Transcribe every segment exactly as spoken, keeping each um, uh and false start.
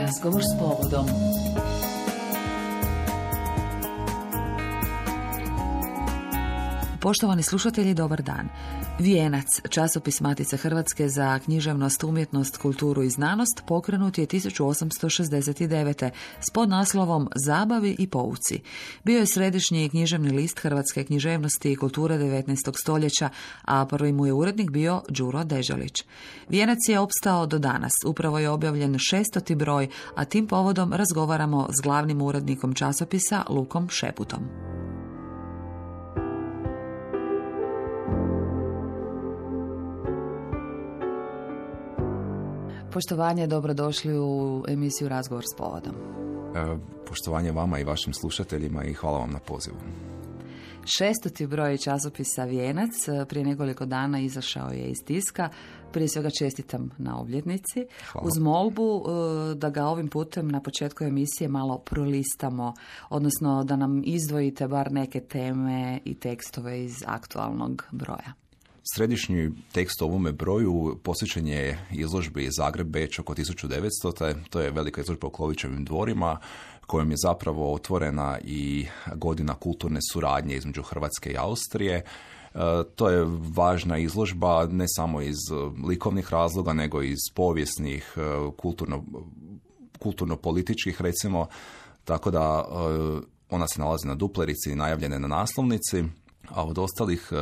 Razgovor s povodom. Poštovani slušatelji, dobar dan. Vijenac, časopis Matice Hrvatske za književnost, umjetnost, kulturu i znanost, pokrenut je tisuću osamsto šezdeset devete. s podnaslovom Zabavi i pouci. Bio je središnji književni list hrvatske književnosti i kulture devetnaestog stoljeća, a prvi mu je urednik bio Đuro Deželić. Vijenac je opstao do danas. Upravo je objavljen šestoti broj, a tim povodom razgovaramo s glavnim urednikom časopisa Lukom Šeputom. Poštovanje, dobrodošli u emisiju Razgovor s povodom. E, poštovanje vama i vašim slušateljima i hvala vam na pozivu. Šestoti broj časopisa Vijenac prije nekoliko dana izašao je iz tiska. Prije svega čestitam na obljetnici. Hvala. Uz molbu da ga ovim putem na početku emisije malo prolistamo, odnosno da nam izdvojite bar neke teme i tekstove iz aktualnog broja. Središnji tekst o ovome broju posvećen je izložbi Zagreb-Beč oko tisuću devetsto. To je velika izložba u Klovićevim dvorima, kojom je zapravo otvorena i godina kulturne suradnje između Hrvatske i Austrije. E, to je važna izložba ne samo iz likovnih razloga, nego i iz povijesnih, kulturno, kulturno-političkih recimo, tako da e, ona se nalazi na duplerici i najavljene na naslovnici, a od ostalih e,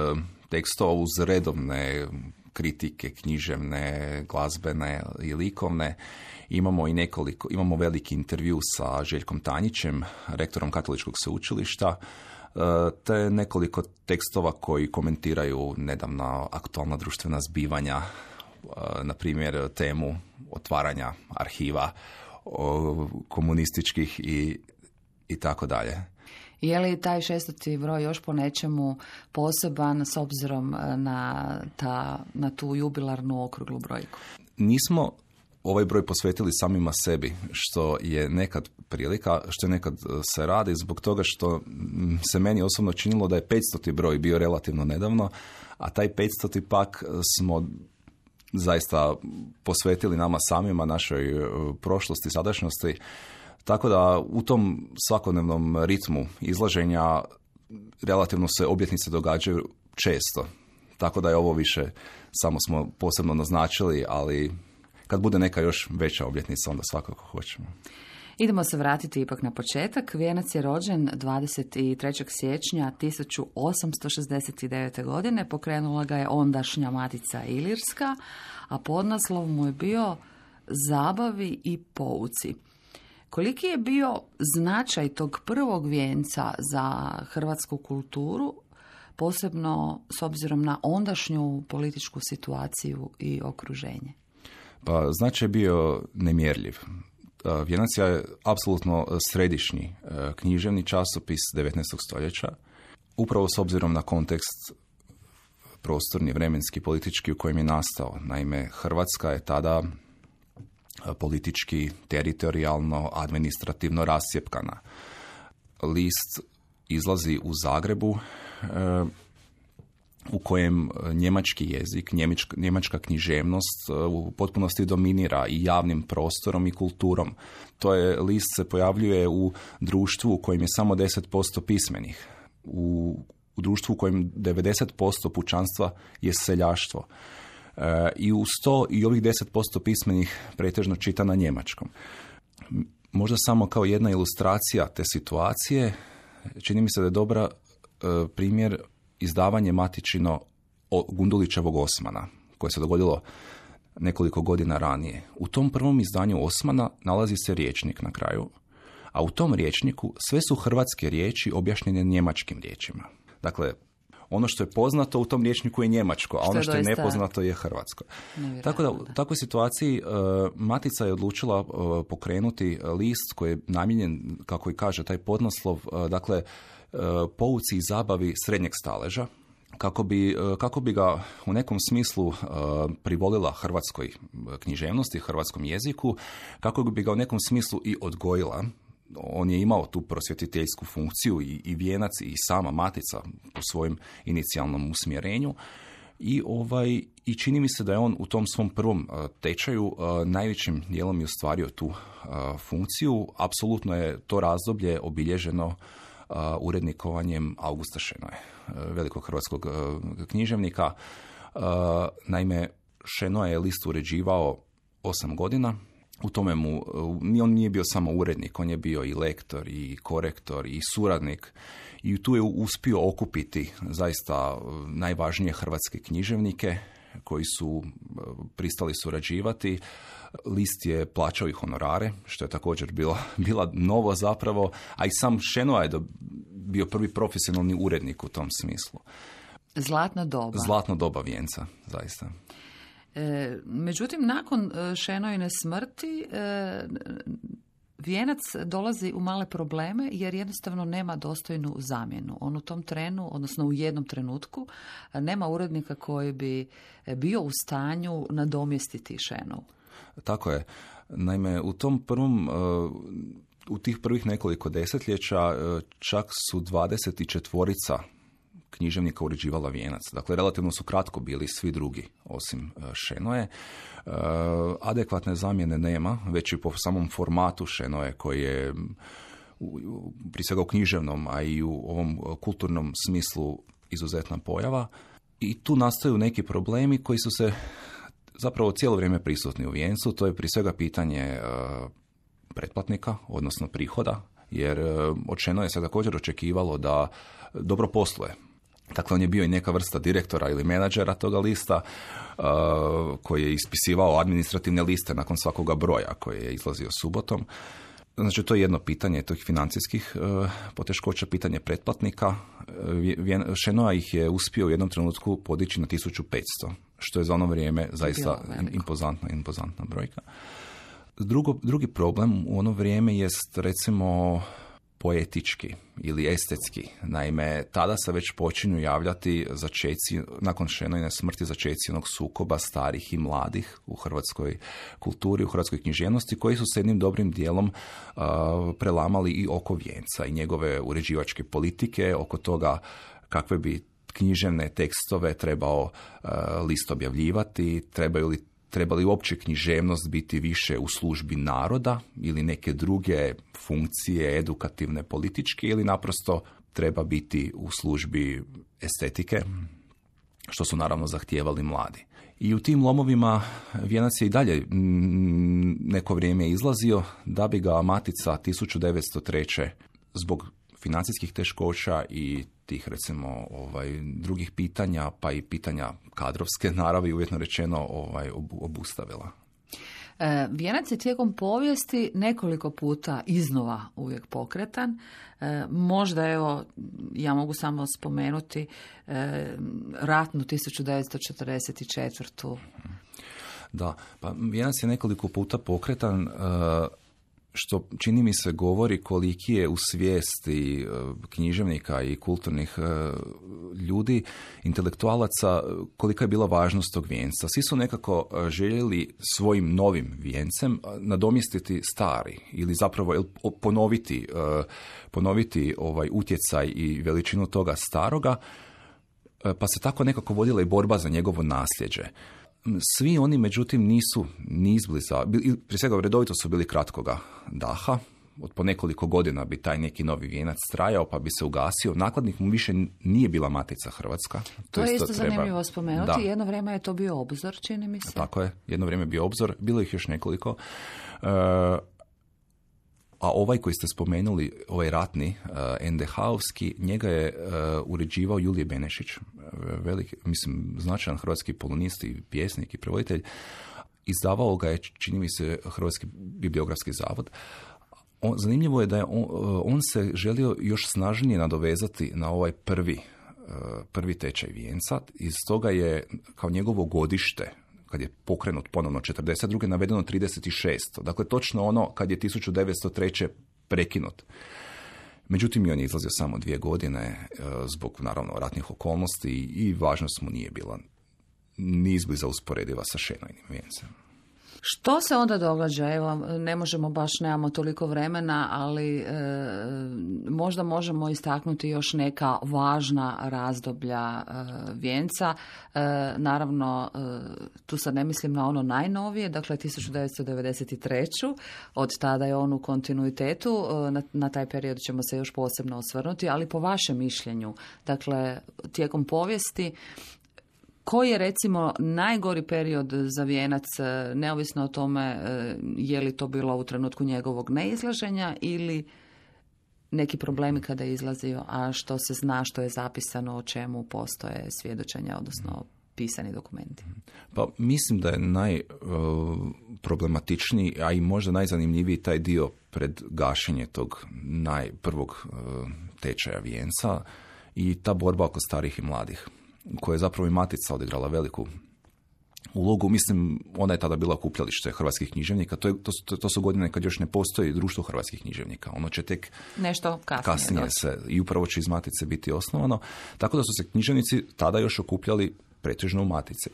tekstova uz redovne kritike književne, glazbene i likovne imamo i nekoliko, imamo veliki intervju sa Željkom Tanjićem, rektorom Katoličkog sveučilišta, te nekoliko tekstova koji komentiraju nedavna aktualna društvena zbivanja, na primjer temu otvaranja arhiva komunističkih i, i tako dalje. Je li taj šestoti broj još po nečemu poseban s obzirom na, ta, na tu jubilarnu okruglu brojku? Nismo ovaj broj posvetili samima sebi, što je nekad prilika, što je nekad se radi zbog toga što se meni osobno činilo da je petstoti broj bio relativno nedavno, a taj petstoti pak smo zaista posvetili nama samima, našoj prošlosti, sadašnjosti. Tako da u tom svakodnevnom ritmu izlaženja relativno se obljetnice događaju često. Tako da je ovo više, samo smo posebno naznačili, ali kad bude neka još veća obljetnica, onda svakako hoćemo. Idemo se vratiti ipak na početak. Vijenac je rođen dvadeset trećeg siječnja tisuću osamsto šezdeset devete. godine. Pokrenula ga je ondašnja Matica Ilirska, a podnaslov mu je bio Zabavi i pouci. Koliki je bio značaj tog prvog vijenca za hrvatsku kulturu, posebno s obzirom na ondašnju političku situaciju i okruženje? Pa značaj je bio nemjerljiv. Vijenac je apsolutno središnji književni časopis devetnaestog stoljeća, upravo s obzirom na kontekst prostorni, vremenski, politički u kojem je nastao. Naime, Hrvatska je tada politički, teritorijalno, administrativno rascjepkana. List izlazi u Zagrebu e, u kojem njemački jezik, njemačka, njemačka književnost u potpunosti dominira i javnim prostorom i kulturom. To je, list se pojavljuje u društvu u kojem je samo deset posto pismenih, u, u društvu u kojem devedeset posto pučanstva je seljaštvo. I uz to i ovih deset posto pismenih pretežno čita na njemačkom. Možda samo kao jedna ilustracija te situacije, čini mi se da je dobra e, primjer izdavanje matičino Gundulićevog Osmana, koje se dogodilo nekoliko godina ranije. U tom prvom izdanju Osmana nalazi se rječnik na kraju, a u tom rječniku sve su hrvatske riječi objašnjene njemačkim riječima. Dakle, ono što je poznato u tom rječniku je njemačko, a ono što je nepoznato je hrvatsko. Tako da u takvoj situaciji uh, Matica je odlučila uh, pokrenuti list koji je namijenjen, kako i kaže taj podnaslov, uh, dakle, uh, pouci i zabavi srednjeg staleža, kako bi, uh, kako bi ga u nekom smislu uh, privolila hrvatskoj književnosti, hrvatskom jeziku, kako bi ga u nekom smislu i odgojila. On je imao tu prosvjetiteljsku funkciju i, i Vijenac i sama Matica po svojem inicijalnom usmjerenju, I, ovaj, i čini mi se da je on u tom svom prvom uh, tečaju uh, najvećim dijelom je ostvario tu uh, funkciju. Apsolutno je to razdoblje obilježeno uh, urednikovanjem Augusta Šenoje, uh, velikog hrvatskog uh, književnika. Uh, naime, Šenoje je list uređivao osam godina. U tome mu, uh, on nije bio samo urednik, on je bio i lektor, i korektor, i suradnik. I tu je uspio okupiti zaista najvažnije hrvatske književnike koji su pristali surađivati. List je plaćao i honorare, što je također bila, bila novo zapravo, a i sam Šenoa je bio prvi profesionalni urednik u tom smislu. Zlatna doba. Zlatna doba vijenca, zaista. E, međutim, nakon Šenojine smrti e, Vijenac dolazi u male probleme jer jednostavno nema dostojnu zamjenu. On u tom trenu, odnosno u jednom trenutku, nema urednika koji bi bio u stanju nadomjestiti Šenovu. Tako je. Naime, u tom prvom, u tih prvih nekoliko desetljeća čak su dvadeset četvorica književnika uređivala Vijenac. Dakle, relativno su kratko bili svi drugi, osim Šenoje. E, adekvatne zamjene nema, već i po samom formatu Šenoje, koji je u, prije svega u književnom, a i u ovom kulturnom smislu izuzetna pojava. I tu nastaju neki problemi koji su se zapravo cijelo vrijeme prisutni u Vijencu. To je prije svega pitanje e, pretplatnika, odnosno prihoda, jer e, od Šenoje se također očekivalo da dobro posluje. Dakle, on je bio i neka vrsta direktora ili menadžera toga lista uh, koji je ispisivao administrativne liste nakon svakoga broja koji je izlazio subotom. Znači, to je jedno pitanje tih financijskih uh, poteškoća, pitanje pretplatnika. Uh, Šenoa ih je uspio u jednom trenutku podići na tisuću petsto, što je za ono vrijeme zaista impozantna, impozantna brojka. Drugo, drugi problem u ono vrijeme jest, recimo, poetički ili estetski. Naime, tada se već počinju javljati začeci, nakon Šenojine smrti, začeci onog sukoba starih i mladih u hrvatskoj kulturi, u hrvatskoj književnosti, koji su se jednim dobrim dijelom uh, prelamali i oko Vijenca i njegove uređivačke politike, oko toga kakve bi književne tekstove trebao uh, list objavljivati, trebaju li Treba li uopće književnost biti više u službi naroda ili neke druge funkcije, edukativne, političke, ili naprosto treba biti u službi estetike, što su naravno zahtijevali mladi. I u tim lomovima Vijenac je i dalje neko vrijeme izlazio, da bi ga Matica tisuću devetsto treće zbog financijskih teškoća i tih, recimo, ovaj, drugih pitanja, pa i pitanja kadrovske naravi, uvjetno rečeno, ovaj, obustavila. E, Vijenac je tijekom povijesti nekoliko puta iznova uvijek pokretan. E, možda, evo, ja mogu samo spomenuti e, ratnu tisuću devetsto četrdeset četvrte. Da, pa Vijenac je nekoliko puta pokretan, e, što čini mi se govori koliki je u svijesti književnika i kulturnih ljudi, intelektualaca, kolika je bila važnost tog vijenca. Svi su nekako željeli svojim novim vijencem nadomjestiti stari ili zapravo ponoviti, ponoviti ovaj utjecaj i veličinu toga staroga, pa se tako nekako vodila i borba za njegovo nasljeđe. Svi oni, međutim, nisu ni izbliza, prije svega redovito su bili kratkoga daha, od po nekoliko godina bi taj neki novi vijenac trajao, pa bi se ugasio. Nakladnik mu više nije bila Matica Hrvatska. To, to je isto treba... zanimljivo spomenuti. Da. Jedno vrijeme je to bio Obzor, čini mi se. Tako je, jedno vrijeme je bio Obzor, bilo ih još nekoliko. Uh, a ovaj koji ste spomenuli, ovaj ratni, uh, en de ha-ovski, njega je uh, uređivao Julije Benešić, velik, mislim, značajan hrvatski polonist i pjesnik i prevoditelj. Izdavao ga je, čini mi se, Hrvatski bibliografski zavod. On, zanimljivo je da je on, on se želio još snažnije nadovezati na ovaj prvi, prvi tečaj vijenca. Iz toga je kao njegovo godište, kad je pokrenut ponovno četrdeset druge navedeno trideset šest. Dakle, točno ono kad je tisuću devetsto treće prekinut. Međutim, i on je izlazio samo dvije godine zbog, naravno, ratnih okolnosti i važnost mu nije bila ni izbliza usporediva sa Šenojinim vijencem. Što se onda događa? Evo, ne možemo baš, nemamo toliko vremena, ali e, možda možemo istaknuti još neka važna razdoblja e, vijenca. E, naravno, e, tu sad ne mislim na ono najnovije, dakle tisuću devetsto devedeset treće. Od tada je on u kontinuitetu, e, na, na taj period ćemo se još posebno osvrnuti, ali po vašem mišljenju, dakle, tijekom povijesti, koji je recimo najgori period za vijenac, neovisno o tome je li to bilo u trenutku njegovog neizlaženja ili neki problemi kada je izlazio, a što se zna, što je zapisano, o čemu postoje svjedočenja, odnosno pisani dokumenti? Pa mislim da je najproblematičniji, a i možda najzanimljiviji taj dio pred gašenje tog najprvog tečaja vijenca i ta borba oko starih i mladih, koja je zapravo i Matica odigrala veliku ulogu. Mislim, ona je tada bila okupljalište hrvatskih književnika. To, je, to, su, to su godine kad još ne postoji društvo hrvatskih književnika. Ono će tek nešto kasnije, kasnije se, i upravo će iz Matice biti osnovano. Tako da su se književnici tada još okupljali pretežno u Matici.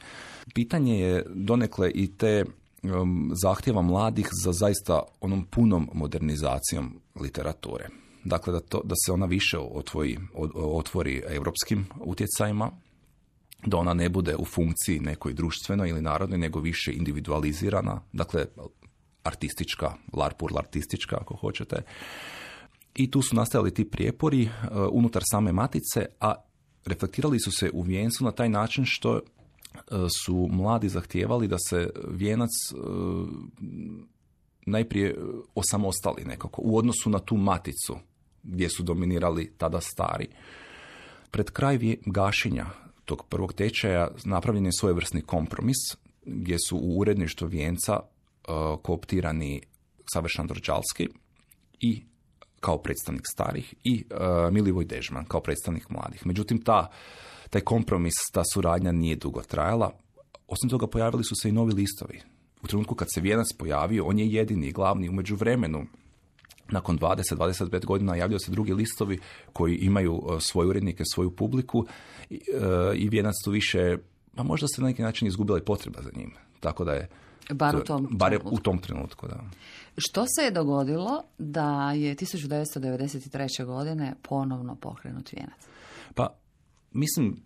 Pitanje je donekle i te um, zahtjeva mladih za zaista onom punom modernizacijom literature. Dakle, da, to, da se ona više otvori, otvori europskim utjecajima, da ona ne bude u funkciji nekoj društvenoj ili narodnoj, nego više individualizirana, dakle, artistička, larpur artistička, ako hoćete. I tu su nastajali ti prijepori uh, unutar same Matice, a reflektirali su se u vijencu na taj način što uh, su mladi zahtijevali da se vijenac uh, najprije osamostali nekako u odnosu na tu Maticu gdje su dominirali tada stari. Pred kraj gašenja tog prvog tečaja napravljen je svojevrsni kompromis gdje su u uredništvo vijenca uh, kooptirani Ksaver Šandor-Đalski i kao predstavnik starih i uh, Milivoj Dežman kao predstavnik mladih. Međutim, ta, taj kompromis, ta suradnja nije dugo trajala. Osim toga, pojavili su se i novi listovi. U trenutku kad se vijenac pojavio, on je jedini i glavni. U međuvremenu, nakon dvadeset do dvadeset pet godina, javljaju se drugi listovi koji imaju uh, svoje urednike, svoju publiku i, uh, i vijenac tu više, pa možda se na neki način izgubila i potreba za njim. Tako da je... Bar u tom bar trenutku. u tom trenutku, da. Što se je dogodilo da je tisuću devetsto devedeset treće. godine ponovno pokrenut vijenac? Pa, mislim,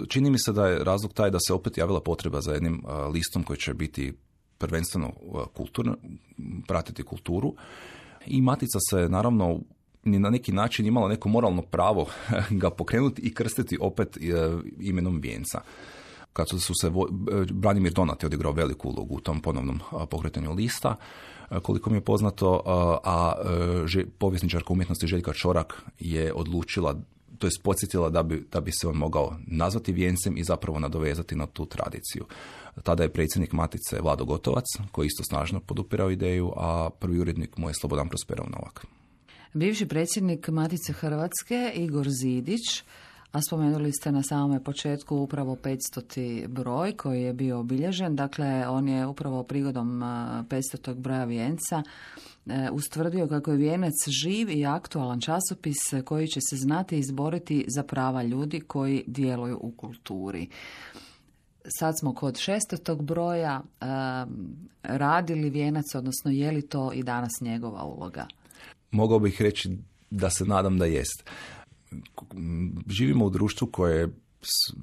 čini mi se da je razlog taj da se opet javila potreba za jednim uh, listom koji će biti prvenstveno uh, kulturno, pratiti kulturu. I Matica se naravno ni na neki način imala neko moralno pravo ga pokrenuti i krstiti opet uh, imenom vijenca. Kad su, su se, Branimir Donat je odigrao veliku ulogu u tom ponovnom uh, pokretanju lista, uh, koliko mi je poznato, uh, a uh, že, povjesničarka umjetnosti Željka Čorak je odlučila, to je podsjetila da bi, da bi se on mogao nazvati vijencem i zapravo nadovezati na tu tradiciju. Tada je predsjednik Matice Vlado Gotovac, koji isto snažno podupirao ideju, a prvi urednik mu je Slobodan Prosperov Novak. Bivši predsjednik Matice Hrvatske Igor Zidić, a spomenuli ste na samome početku upravo petstoti broj koji je bio obilježen. Dakle, on je upravo prigodom petstotog broja vijenca ustvrdio kako je vijenac živ i aktualan časopis koji će se znati izboriti za prava ljudi koji djeluju u kulturi. Sad smo kod šestog broja. Radili vijenac, odnosno je li to i danas njegova uloga? Mogao bih reći da se nadam da jest. Živimo u društvu koje,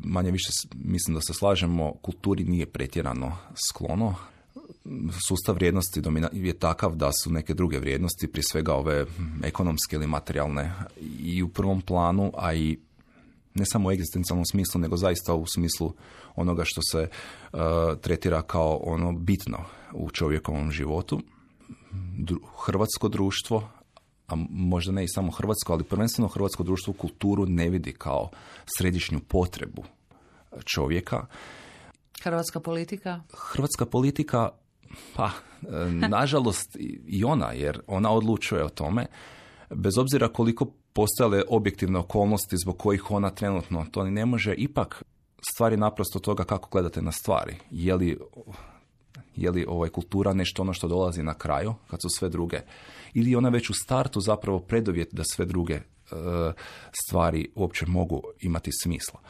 manje više mislim da se slažemo, kulturi nije pretjerano sklono. Sustav vrijednosti je takav da su neke druge vrijednosti, prije svega ove ekonomske ili materijalne, i u prvom planu, a i ne samo u egzistencijalnom smislu, nego zaista u smislu onoga što se uh, tretira kao ono bitno u čovjekovom životu. Hrvatsko društvo, a možda ne i samo hrvatsko, ali prvenstveno hrvatsko društvo kulturu ne vidi kao središnju potrebu čovjeka. Hrvatska politika? Hrvatska politika, pa, nažalost i ona, jer ona odlučuje o tome, bez obzira koliko postojale objektivne okolnosti zbog kojih ona trenutno to ne može, ipak stvari naprosto toga kako gledate na stvari. Je li, je li ovaj kultura nešto ono što dolazi na kraju, kad su sve druge, ili je ona već u startu zapravo preduvjet da sve druge e, stvari uopće mogu imati smisla.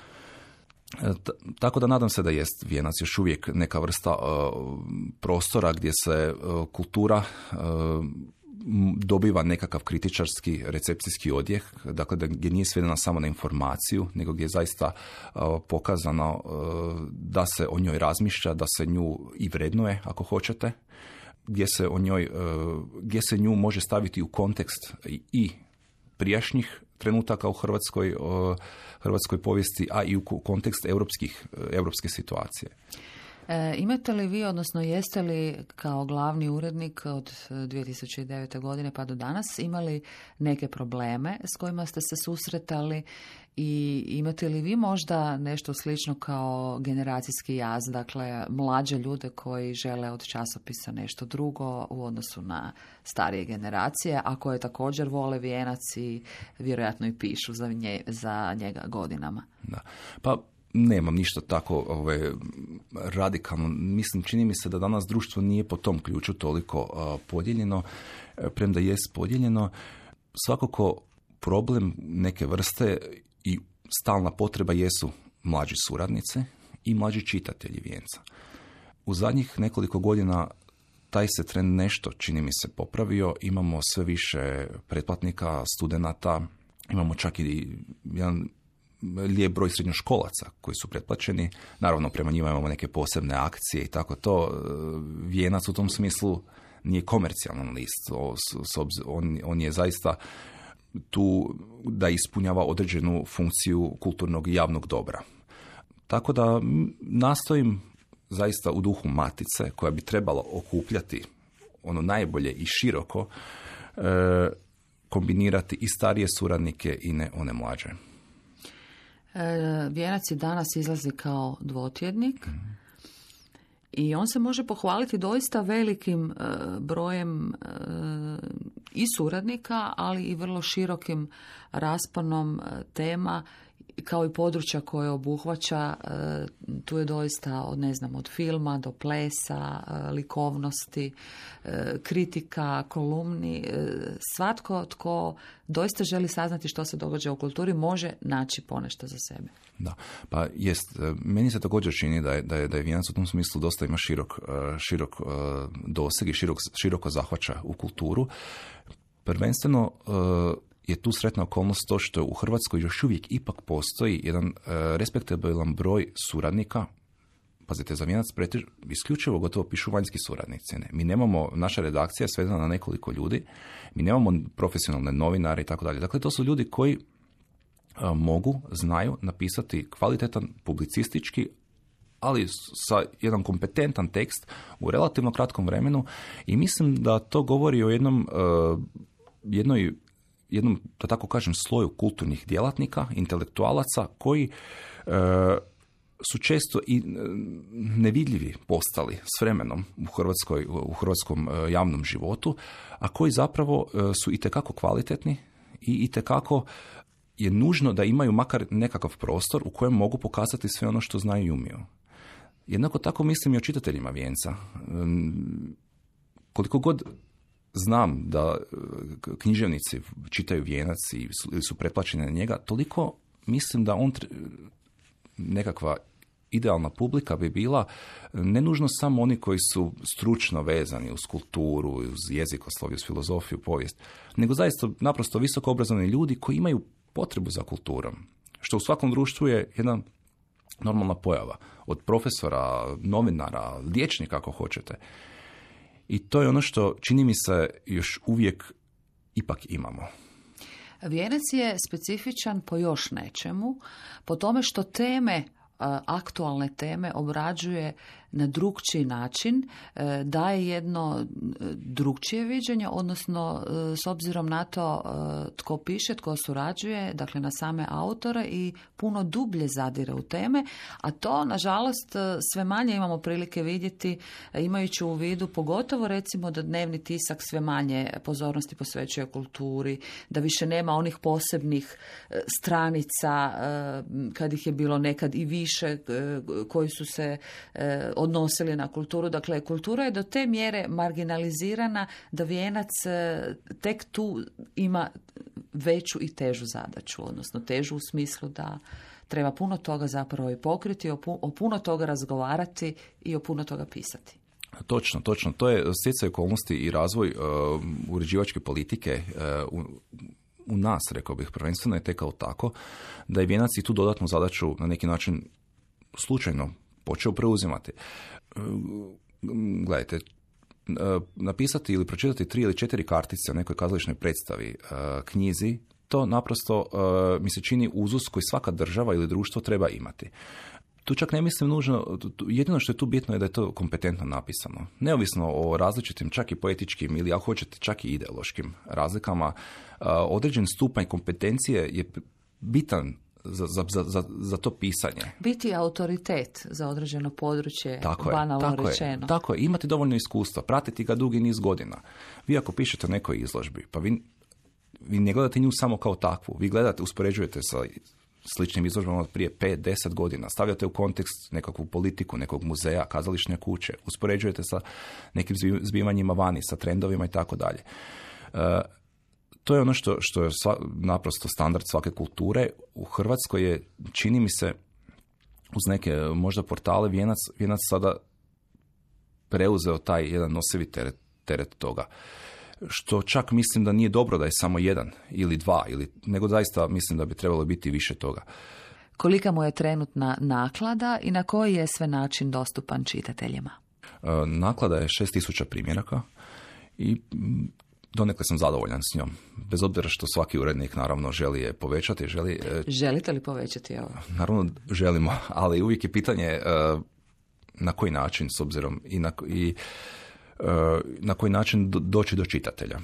Tako da nadam se da jest Vijenac još uvijek neka vrsta uh, prostora gdje se uh, kultura uh, dobiva nekakav kritičarski recepcijski odjek, dakle da gdje nije svedena samo na informaciju, nego gdje je zaista uh, pokazano uh, da se o njoj razmišlja, da se nju i vrednuje, ako hoćete, gdje se o njoj, uh, gdje se nju može staviti u kontekst i, i prijašnjih trenutaka u Hrvatskoj, uh, hrvatskoj povijesti, a i u kontekst europskih, europske situacije. E, imate li vi, odnosno jeste li kao glavni urednik od dvije tisuće devete. godine pa do danas imali neke probleme s kojima ste se susretali i imate li vi možda nešto slično kao generacijski jaz, dakle mlađe ljude koji žele od časopisa nešto drugo u odnosu na starije generacije, a koje također vole Vijenac i vjerojatno i pišu za, nje, za njega godinama? Da. Pa nemam ništa tako ove, radikalno. Mislim, čini mi se da danas društvo nije po tom ključu toliko uh, podijeljeno, premda jest podijeljeno. Svakako problem neke vrste i stalna potreba jesu mlađi suradnici i mlađi čitatelji Vijenca. U zadnjih nekoliko godina taj se trend nešto, čini mi se, popravio. Imamo sve više pretplatnika, studenata, imamo čak i jedan lijep broj srednjoškolaca koji su pretplaćeni. Naravno, prema njima imamo neke posebne akcije i tako to. Vijenac u tom smislu nije komercijalan list. On, on je zaista tu da ispunjava određenu funkciju kulturnog i javnog dobra. Tako da nastojim zaista u duhu matice, koja bi trebala okupljati ono najbolje i široko, e, kombinirati i starije suradnike i ne one mlađe. E, Vijenac i danas izlazi kao dvotjednik mm. i on se može pohvaliti doista velikim e, brojem e, i suradnika, ali i vrlo širokim rasponom e, tema kao i područja koje obuhvaća. E, tu je doista od, ne znam, od filma do plesa, e, likovnosti, e, kritika, kolumni. E, svatko tko doista želi saznati što se događa u kulturi može naći ponešto za sebe. Da, pa jest. Meni se također čini da je, da je, da je Vijenac u tom smislu dosta ima širok, širok doseg i širok, široko zahvaća u kulturu. Prvenstveno je tu sretna okolnost to što u Hrvatskoj još uvijek ipak postoji jedan uh, respektabilan broj suradnika. Pazite, za Vijenac pretež, isključivo gotovo pišu vanjski suradnici. Ne. Mi nemamo, naša redakcija je svedena na nekoliko ljudi, mi nemamo profesionalne novinare i tako dalje. Dakle, to su ljudi koji uh, mogu, znaju napisati kvalitetan publicistički, ali sa jedan kompetentan tekst u relativno kratkom vremenu, i mislim da to govori o jednom uh, jednoj jednom, da tako kažem, sloju kulturnih djelatnika, intelektualaca koji e, su često i e, nevidljivi postali s vremenom u, Hrvatskoj, u hrvatskom e, javnom životu, a koji zapravo e, su itekako kvalitetni i itekako je nužno da imaju makar nekakav prostor u kojem mogu pokazati sve ono što znaju i umiju. Jednako tako mislim i o čitateljima Vijenca. E, koliko god znam da književnici čitaju Vijenac i su, su pretplaćeni na njega, toliko mislim da on nekakva idealna publika bi bila ne nužno samo oni koji su stručno vezani uz kulturu, uz jezikoslovje, uz filozofiju, povijest, nego zaista naprosto visoko obrazovani ljudi koji imaju potrebu za kulturom, što u svakom društvu je jedna normalna pojava. Od profesora, novinara, liječnika ako hoćete. I to je ono što, čini mi se, još uvijek ipak imamo. Vijenac je specifičan po još nečemu, po tome što teme, aktualne teme obrađuje na drukčiji način, daje jedno drukčije viđenje, odnosno s obzirom na to tko piše, tko surađuje, dakle na same autore, i puno dublje zadire u teme, a to nažalost sve manje imamo prilike vidjeti, imajući u vidu pogotovo recimo da dnevni tisak sve manje pozornosti posvećuje kulturi, da više nema onih posebnih stranica kad ih je bilo nekad i više koji su se odnosili na kulturu. Dakle, kultura je do te mjere marginalizirana da Vijenac tek tu ima veću i težu zadaću, odnosno težu u smislu da treba puno toga zapravo i pokriti, o puno toga razgovarati i o puno toga pisati. Točno, točno. To je stjecaj okolnosti i razvoj uh, uređivačke politike uh, u, u nas, rekao bih, prvenstveno je tekao tako da je Vijenac i tu dodatnu zadaću na neki način slučajno počeo preuzimati. Uh, gledajte, uh, napisati ili pročitati tri ili četiri kartice o nekoj kazališnoj predstavi, uh, knjizi, to naprosto uh, mi se čini uzus koji svaka država ili društvo treba imati. Tu čak ne mislim nužno, jedino što je tu bitno je da je to kompetentno napisano. Neovisno o različitim, čak i poetičkim ili ako hoćete čak i ideološkim razlikama, određen stupanj kompetencije je bitan za, za, za, za to pisanje. Biti autoritet za određeno područje, tako banalno je, tako rečeno. Je, tako je, imati dovoljno iskustva, pratiti ga dugi niz godina. Vi ako pišete o nekoj izložbi, pa vi, vi ne gledate nju samo kao takvu, vi gledate, uspoređujete sa sličnim izložbama od prije pet do deset godina. Stavljate u kontekst nekakvu politiku, nekog muzeja, kazališne kuće. Uspoređujete sa nekim zbivanjima vani, sa trendovima i tako dalje. To je ono što, što je sva, naprosto standard svake kulture. U Hrvatskoj je, čini mi se, uz neke možda portale, Vijenac, Vijenac sada preuzeo taj jedan nosivi teret, teret toga. Što čak mislim da nije dobro da je samo jedan ili dva, ili, nego zaista mislim da bi trebalo biti više toga. Kolika mu je trenutna naklada i na koji je sve način dostupan čitateljima? Naklada je šest tisuća primjeraka i donekle sam zadovoljan s njom. Bez obzira što svaki urednik naravno želi je povećati. Želi, Želite li povećati ovo? Naravno želimo, ali uvijek je pitanje na koji način, s obzirom i na, i na koji način doći do čitatelja.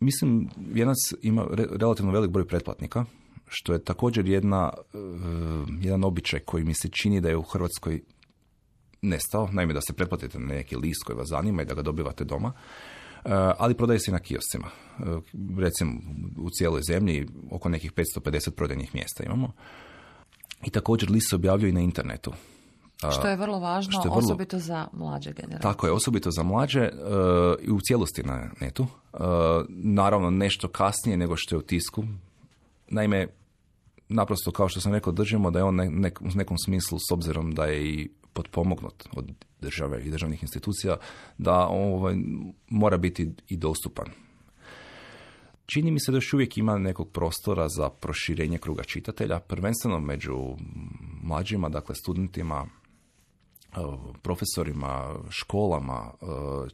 Mislim, Vijenac ima relativno velik broj pretplatnika, što je također jedna, jedan običaj koji mi se čini da je u Hrvatskoj nestao. Naime, da se pretplatite na neki list koji vas zanima i da ga dobivate doma, ali prodaje se i na kioscima. Recimo, u cijeloj zemlji oko nekih petsto pedeset prodajnih mjesta imamo. I također list se objavljuje i na internetu. Što je vrlo važno, je vrlo, osobito za mlađe generacije. Tako je, osobito za mlađe uh, i u cijelosti na netu. Uh, naravno, nešto kasnije nego što je u tisku. Naime, naprosto, kao što sam rekao, držimo da je on ne, ne, u nekom smislu, s obzirom da je i potpomognut od države i državnih institucija, da ovaj, mora biti i dostupan. Čini mi se da još uvijek ima nekog prostora za proširenje kruga čitatelja, prvenstveno među mlađima, dakle studentima, profesorima, školama.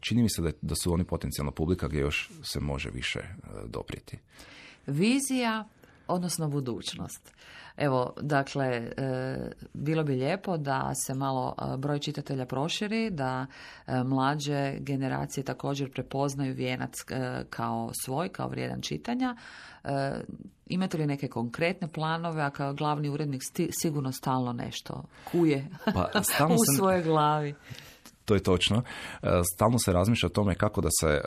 Čini mi se da, da su oni potencijalna publika gdje još se može više doprijeti. Vizija, odnosno budućnost. Evo, dakle, e, bilo bi lijepo da se malo broj čitatelja proširi, da e, mlađe generacije također prepoznaju Vijenac e, kao svoj, kao vrijedan čitanja. E, imate li neke konkretne planove, a kao glavni urednik sti, sigurno stalno nešto kuje pa, u se, svojoj glavi? To je točno. Stalno se razmišlja o tome kako da se...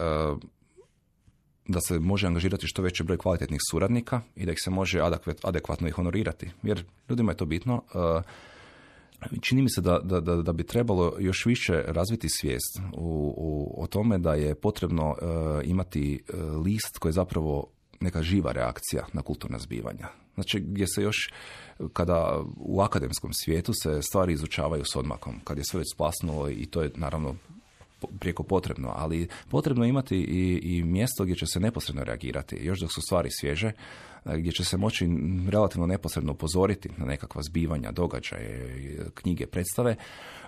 da se može angažirati što veći broj kvalitetnih suradnika i da ih se može adekvatno i honorirati. Jer ljudima je to bitno. Čini mi se da, da, da, da bi trebalo još više razviti svijest u, u, o tome da je potrebno uh, imati uh, list koji je zapravo neka živa reakcija na kulturna zbivanja. Znači gdje se još, kada u akademskom svijetu se stvari izučavaju s odmakom, kad je sve već splasnulo i to je naravno prijeko potrebno, ali potrebno je imati i, i mjesto gdje će se neposredno reagirati, još dok su stvari svježe, gdje će se moći relativno neposredno upozoriti na nekakva zbivanja, događaje, knjige, predstave,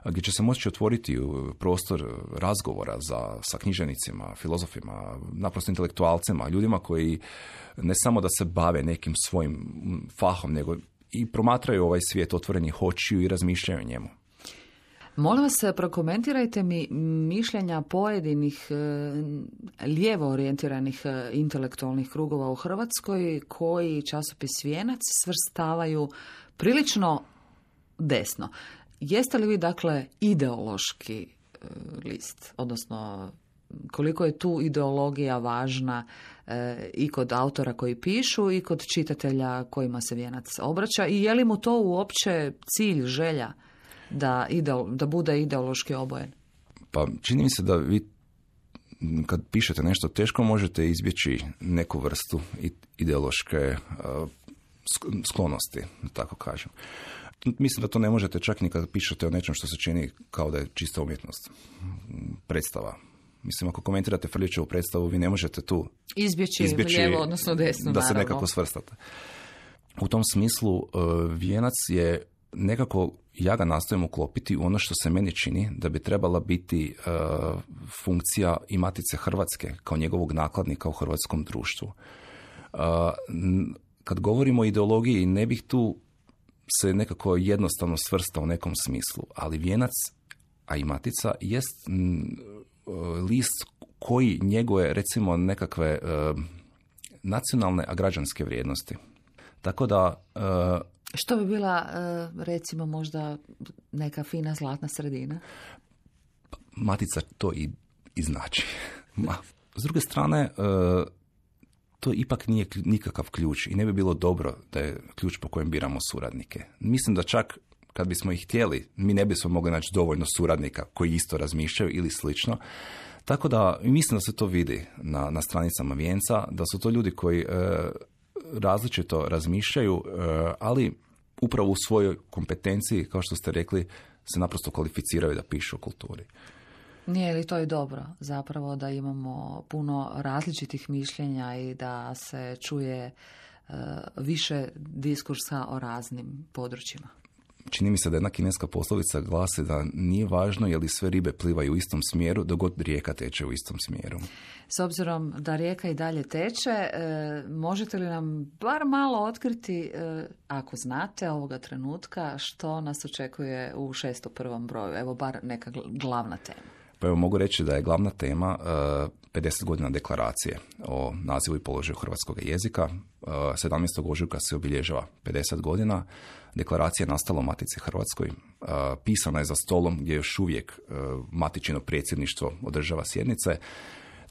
gdje će se moći otvoriti prostor razgovora za, sa književnicima, filozofima, naprosto intelektualcima, ljudima koji ne samo da se bave nekim svojim fahom, nego i promatraju ovaj svijet otvorenih očiju i razmišljaju o njemu. Molim vas, prokomentirajte mi mišljenja pojedinih e, lijevo orijentiranih e, intelektualnih krugova u Hrvatskoj koji časopis Vijenac svrstavaju prilično desno. Jeste li vi, dakle, ideološki e, list? Odnosno, koliko je tu ideologija važna e, i kod autora koji pišu i kod čitatelja kojima se Vijenac obraća i je li mu to uopće cilj, želja da, ide, da bude ideološki obojen? Pa čini mi se da vi kad pišete nešto teško, možete izbjeći neku vrstu ideološke uh, sklonosti, da tako kažem. Mislim da to ne možete čak ni kad pišete o nečem što se čini kao da je čista umjetnost. Predstava. Mislim, ako komentirate Frljićevu predstavu, vi ne možete tu izbjeći, izbjeći lijevo, odnosno desno, da naravno. se nekako svrstate. U tom smislu, uh, Vijenac je nekako, ja ga nastojim uklopiti u ono što se meni čini da bi trebala biti uh, funkcija i Matice Hrvatske kao njegovog nakladnika u hrvatskom društvu. Uh, kad govorimo o ideologiji, ne bih tu se nekako jednostavno svrstao u nekom smislu, ali Vijenac, a i Matica, jest m, list koji njeguje, recimo, nekakve uh, nacionalne, a građanske vrijednosti. Tako da... Uh, Što bi bila, recimo, možda neka fina zlatna sredina? Matica to i, i znači. Ma. S druge strane, to ipak nije nikakav ključ i ne bi bilo dobro da je ključ po kojem biramo suradnike. Mislim da čak kad bismo ih htjeli, mi ne bismo mogli naći dovoljno suradnika koji isto razmišljaju ili slično. Tako da mislim da se to vidi na, na stranicama Vijenca, da su to ljudi koji e, različito razmišljaju, e, ali upravo u svojoj kompetenciji, kao što ste rekli, se naprosto kvalificiraju da pišu o kulturi. Nije li to i dobro, zapravo, da imamo puno različitih mišljenja i da se čuje uh, više diskursa o raznim područjima? Čini mi se da jedna kineska poslovica glasi da nije važno je li sve ribe plivaju u istom smjeru dok god rijeka teče u istom smjeru. S obzirom da rijeka i dalje teče, e, možete li nam bar malo otkriti, e, ako znate ovoga trenutka, što nas očekuje u šesto prvom broju? Evo, bar neka glavna tema. Pa evo, mogu reći da je glavna tema uh, pedeset godina deklaracije o nazivu i položaju hrvatskog jezika. Uh, sedamnaestog ožujka se obilježava pedeset godina. Deklaracija je nastala u Matici Hrvatskoj. Uh, pisana je za stolom gdje još uvijek uh, matičino predsjedništvo održava sjednice.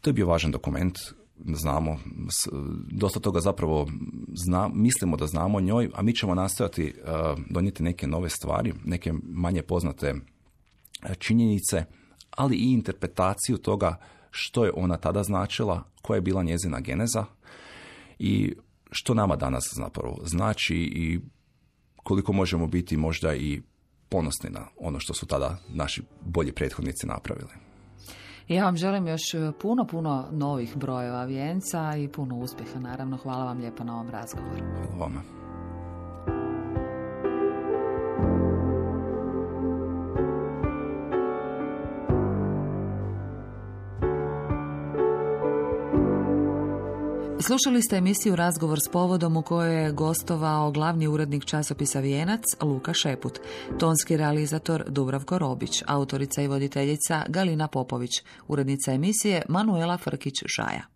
To je bio važan dokument. Znamo, s, dosta toga zapravo zna, mislimo da znamo o njoj, a mi ćemo nastojati uh, donijeti neke nove stvari, neke manje poznate činjenice, ali i interpretaciju toga što je ona tada značila, koja je bila njezina geneza i što nama danas zapravo znači i koliko možemo biti možda i ponosni na ono što su tada naši bolji prethodnici napravili. Ja vam želim još puno, puno novih brojeva Vijenca i puno uspjeha, naravno. Hvala vam lijepo na ovom razgovoru. Hvala vama. Slušali ste emisiju Razgovor s povodom u kojoj je gostovao glavni urednik časopisa Vijenac Luka Šeput, tonski realizator Dubravko Robić, autorica i voditeljica Galina Popović, urednica emisije Manuela Frkić-Žaja.